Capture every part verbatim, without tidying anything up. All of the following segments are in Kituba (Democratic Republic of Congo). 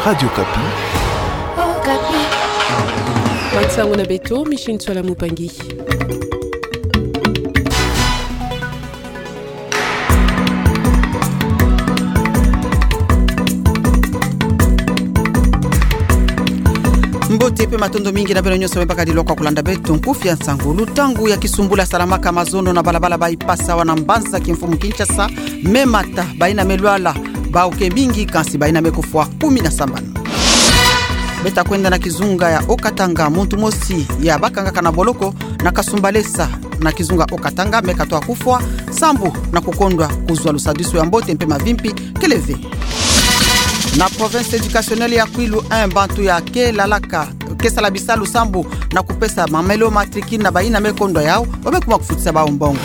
Radio Okapi. Okapi. Bansango na beto, Micheline Tsoala Mupangi. Mbote mpe matondo mingi na beno nyonso me bakadi lokwa kulanda beto nkufi ya nsangu. Lutangu ya kisumbula salamaka mazono na balabala Bypass awa na mbanza kimfumu Kinshasa me mata, bayina me lwala bau ke mingi, kansi bayina me kufwa kumi na sambanu. Beta kwenda na kizunga ya Haut-Katanga, muntu mosi ya bakangaka na boloko na kasumbalesa na kizunga Haut-Katanga me katwa kufwa, sambu na kukondwa kuzwa lusadisu ya mbote mpe mavimpi kele ve. Na province éducationnelle ya Kwilu un, bantu ya ke lalaka, ke sala bisalu sambu na kupesa mamelo matricule na bayina me kondwa yau, ba me kuma kufutisa bau mbongo.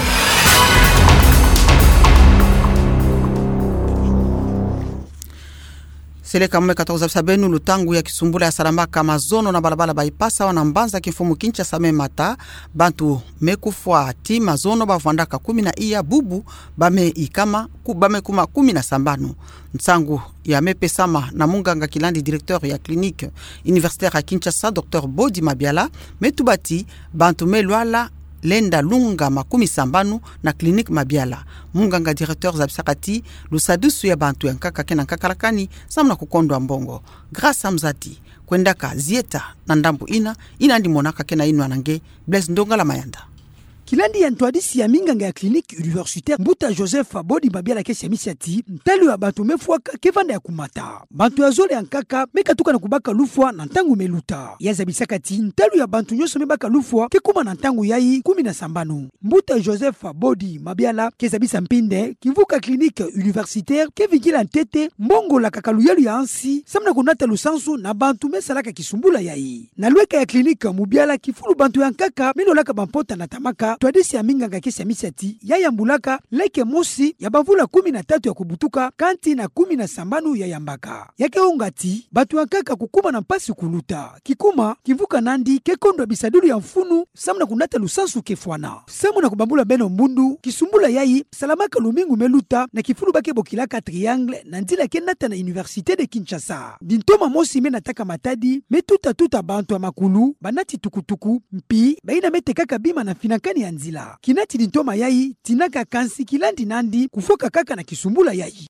Seleka me katwa kuzabisa beno lutangu ya kisumbula ya salamaka mazono na balabala Bypass awa na mbanza kimfumu Kinshasa me mata, bantu me kufwa ti mazono ba vwandaka kumi na iya, bubu ba me ikama, ku-, ba me kuma kumi na sambanu. Nsangu ya me pesama na munganga kilandi directeur ya clinique universitaire ya Kinshasa, docteur Body Mabiala, me tuba ti bantu me lwala lenda lunga makumi sambanu na clinique Mabiala. Munganga directeur zabisaka ti lusadisu ya bantu ya nkaka ke na nkakalakani sambu na kukondwa mbongo. Grâce Amzati kwendaka zieta na ndambu ina, ina ndi monaka ke na inwa na nge Blaise Ndongala Mayanda. Kilandi ya ntwadisi ya minganga ya clinique universitaire, Mbuta Joseph Body Mabiala, ke siamisa ti ntalu ya bantu me fwaka ke vanda ya kumata. Bantu ya zole ya nkaka me katuka na kubaka lufwa na ntangu me luta. Ya zabisaka ti ntalu ya bantu nyonso me baka lufwa ke kuma na ntangu yayi kumi na sambanu. Mbuta Joseph Body Mabiala ke zabisa mpinde kimvuka clinique universitaire ke vingila ntete mbongo lakaka luyalu ya nsi sambu na kunata lusansu na bantu me salaka kisumbula yayi. Na lweka ya clinique Mabiala, kifulu bantu ya nkaka me lolaka bampota natamaka. Ntwadisi ya minganga ke siamisa ti ya yambulaka leke mosi ya bamvula kumi na tatu ya kubutuka, kanti na kumi na sambanu ya yambaka. Ya ke onga ti bantu ya nkaka kukuma na mpasi kuluta. Kikuma, kimvuka nandi ke kondwa bisadulu ya mfunu sambu na kunata lusansu ke fwana. Sambu na kubambula beno mbundu, kisumbula yayi salamaka lumingu me luta na kifulu ba ke bokilaka Triangle, na nzila ke nata na Université de Kinshasa. Dintoma mosi me nataka matadi me tuta-tuta bantu ya makulu, banati tukutuku, mpi bayina me tekaka bima na mfinakani ya nzila. Kinati dintoma yayi tinaka, kansi kilandi nandi kufwaka kaka na kisumbula yayi.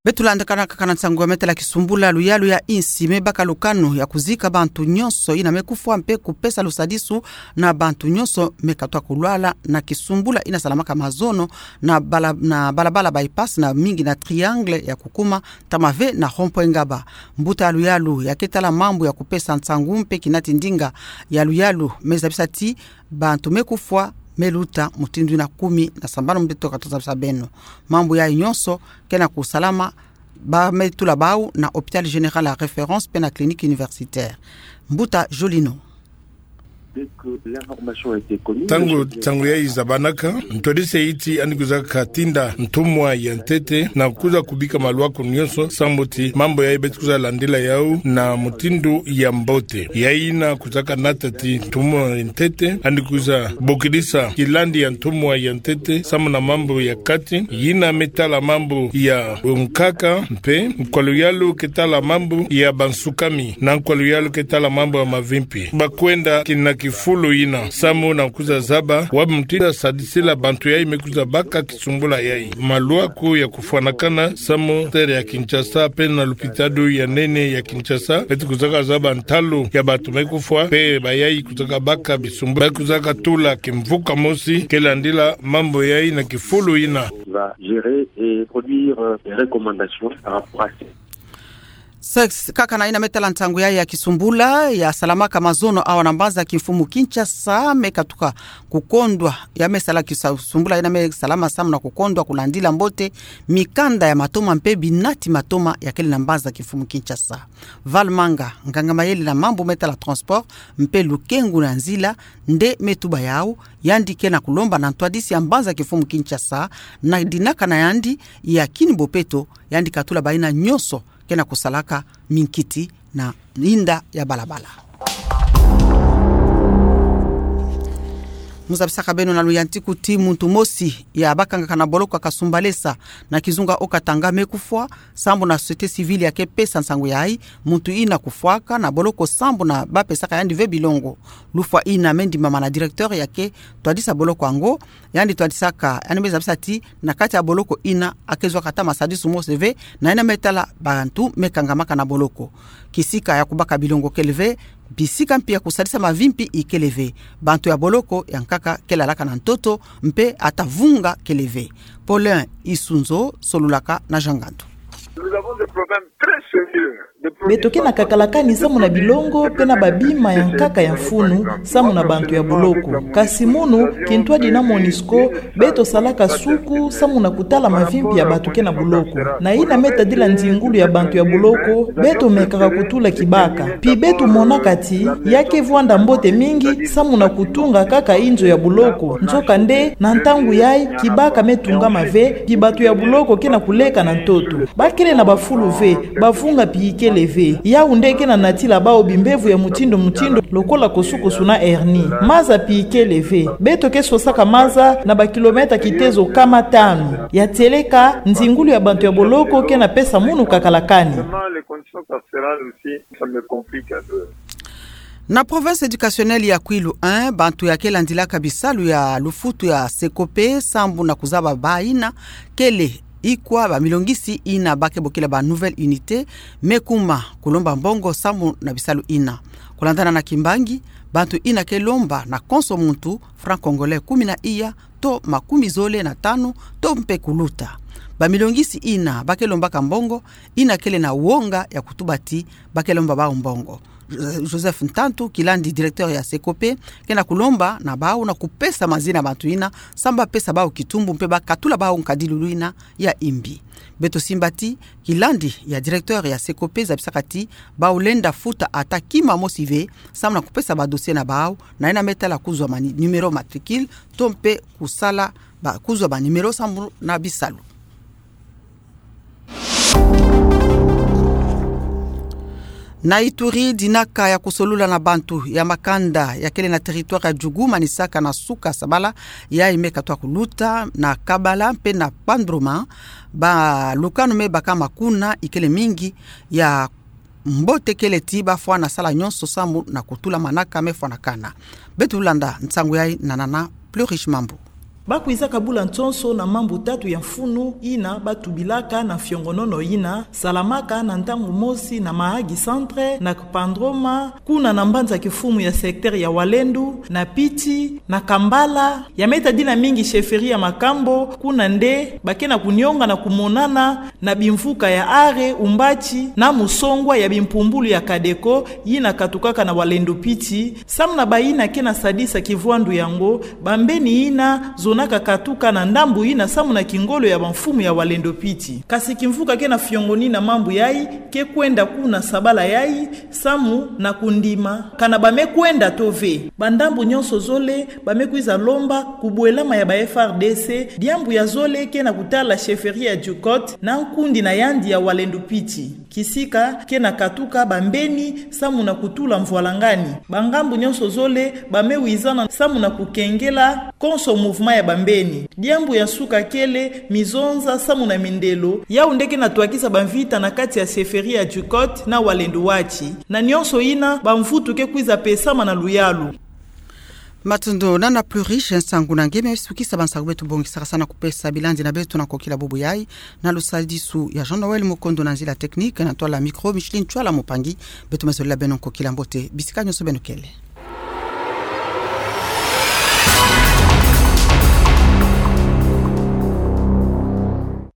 Beto landakana kaka na nsangu ya me tala kisumbula. Luyalu ya insi me baka lukanu ya kuzika bantu nyonso yina me kufwa mpe kupesa lusadisu na bantu nyonso me katwa kulwala na kisumbula yina salamaka mazono na bala-, na balabala Bypass, na mingi na Triangle ya kukuma ntama ve na rond-point Ngaba. Mbuta ya luyalu ya ke tala mambu ya kupesa nsangu mpe kinati ndinga ya luyalu me zabisa ti bantu me kufwa me luta mutindu yina kumi na sambanu. Mbeto katwa zabisa beno mambu yayi nyonso ke na kusalama, ba me tula bau na Hôpital Général ya Référence mpe na Clinique Universitaire. Mbuta Jolino. Dès que l'information a été connue, ntangu, le chef de ntangu yayi zabanaka, ntwadisi ya insi yandi kwiza katinda ntumwa ya ntete na kwiza kubika malwaku nyonso, sambu ti mambu yayi beto kwiza landila yau na mutindu ya mbote. Yayi yina kwiza kanata ti ntumwa ya ntete yandi kwiza bokidisa kilandi ya ntumwa ya ntete sambu na mambu ya kati, yina me tala mambu ya nkaka, mpe nkwa luyalu ke tala mambu ya bansukami, na nkwa luyalu ke tala mambu ya mavimpi. Ba kwenda kina kifulu yina sambu na kwiza zaba wa mutindu ya sadisila bantu yayi me kwiza baka kisumbula yayi. Malwaku ya kufwanakana sambu terre ya Kinshasa mpe na lupitalu ya nene ya Kinshasa, beto kwiza kazaba ntalu ya bantu me kufwa mpe bayayi kwiza kabaka bisumbula. Ba kwiza katula kimvuka mosi ke landila mambu yayi na kifulu yina. Va gérer et produire, euh, des recommandations par rapport à ces Sex, kaka na yina me tala nsangu yayi ya kisumbula ya salamaka mazono awa na mbanza kimfumu Kinshasa, me katuka kukondwa, ya me sala kisa-, sumbula yina me salama sambu na kukondwa kulandila mbote mikanda ya matoma mpe binati matoma ya kele na mbanza kimfumu Kinshasa. Val Manga, nganga mayele na mambu me tala transport mpe lukengu na nzila, nde me tuba yau, yandi ke na kulomba na ntwadisi ya mbanza kimfumu Kinshasa, na dinaka na yandi ya kini bopeto, yandi katula bayina nyonso ke na kusalaka minkiti na inda ya balabala. Mu zabisaka beno na luyantiku ti muntu mosi ya bakangaka na boloko ya Kasumbalesa na kizunga O Katanga me kufwa, sambu na société civile ya ke pesa nsangu yayi, muntu ina kufwaka na boloko sambu na bapesaka yandi ve bilongo. Lufwa ina me ndimama na directeur ya ke twadisa boloko yango, yandi twadisaka, yandi me zabisa ti na kati ya boloko ina a ke zwaka ata masadisu mosi ve, na ina me tala bantu me kangamaka na boloko. Kisika ya kubaka bilongo kele ve, bisika mpi ya kusadisa mavi mpi ikele ve. Bantu ya boloko ya nkaka ke lalaka na ntoto, mpe ata vunga kele ve. Paulin Isunzo, solulaka na Jean Ngandu. Nous avons des problèmes très sérieux. Beto ke na kakalakani samu na bilongo mpe na babima ya nkaka ya mfunu samu na bantu ya boloko. Kasi munu, kintwadi na MONUSCO, beto salaka suku samu na kutala mavi mpi ya bantu ke na boloko. Na ina me tadila nzingulu ya bantu ya boloko, beto mekaka kutula kibaka. Mpi beto monaka ti ya ke vwanda mbote mingi samu na kutunga kaka inzo ya boloko. Nzokande, na ntangu yayi, kibaka me tungama ve, mpi bantu ya boloko ke na kuleka na ntoto. Ba kele na bafulu ve, bavunga mpi ikele ve. Yawu nde ke na natila bawu bimbevo ya mutindu mutindu, lokola kosukosu na hernie. Maza mpi ikele ve. Beto ke sosaka maza na bakilomètre kitezo kama tanu. Ya tieleka, nzingulu ya bantu ya boloko ke na pesa munu kakalakani. Vraiment, les conditions carcérales aussi, ça me complique un peu. Na province éducationnelle ya Kwilu un, bantu ya ke landilaka bisalu ya lufutu ya Secope sambu na kuzaba ba ina kele ikwa, bamilongisi ina ba ke bokila ba nouvelle unité, me kuma kulomba mbongo sambu na bisalu ina. Kulandana na kimbangi, bantu ina ke lomba na konso muntu franc congolais kumi na iya, to makumi zole na tanu, to mpe kuluta. Bamilongisi ina ba ke lombaka mbongo, ina kele na wonga ya kutuba ti ba ke lomba bawu mbongo. Joseph Ntantu, kilandi directeur ya Secope, ke na kulomba na bawu na kupesa mazina bantu ina, sambu ba pesa bawu kitumbu mpe ba katula bawu nkadilulu ina ya imbi. Beto simba ti, kilandi ya directeur ya Secope zabisaka ti, bawu lenda futa ata kima mosi ve, sambu na kupesa ba dossier na bawu, na ina me tala kuzwa ma ni-, numéro matricule, to mpe kusala ba, kuzwa ba numéro sambu na bisalu. Na Ituri, dinaka ya kusolula na bantu ya makanda ya kele na territoire ya Djugu manisaka na suka sabala yayi me katwa kuluta na Kabala mpe na Kpandroma, balukanu me baka makuna ikele mingi. Ya mbote kele ti ba fwana sala nyonso sambu na kutula manaka me fwanakana. Beto landa nsangu yayi na nana Plus Riche Mambu. Ba kwizaka bula nsonso na mambu tatu ya mfunu ina ba tubilaka na mfiongonono ina salamaka na ntangu mosi na Mahagi Centre, na Kpandroma, kuna na mbanza kifumu ya secteur ya Walendu, na Piti, na Kambala, ya me tadila mingi chefferie ya Makambo, kuna nde ba ke na kunionga na kumonana na bimvuka ya Are, Umbati, na Musongwa ya bimpumbulu ya Kadeko, ina katukaka na Walendu Piti, sambu na ba ina ke na sadisa kivwandu yango, bambeni ina zonaka katuka na ndambu ina sambu na kingolo ya bamfumu ya Walendu Piti. Kasi kimvuka ke na fiongoni na mambu yayi, ke kwenda kuna sabala yayi, sambu na kundima kana ba me kwenda to ve. Bandambu nyonso zole, ba me kwiza lomba kubwelama ya ba F R D C, diambu ya zole ke na kutala chefferie ya Djukot, na nkundi na yandi ya Walendu Piti. Kisika ke na katuka bambeni, sambu na kutula mvwalangani. Bangambu nyonso zole, ba me wizana sambu na kukengela konso mouvement ya bambeni. Diambu ya nsuka kele mizonza sambu na mindelo, yawu nde ke na twakisa bamvita na kati ya chefferie ya Djukot na Walendu Wati. Na nyonso ina, bamvutu ke kwiza pesama na luyalu. Matondo nana Plus Riche, nsangu na nge me sukisa bansangu beto bongisaka sana kupesa bilandi na beto na nkokila bubu yayi, na lusadisu ya Jean-Noël Mukondo na nzila technique, na ntwala micro Micheline Chwala Mupangi. Beto me zolela beno nkokila mbote bisika nyonso beno kele.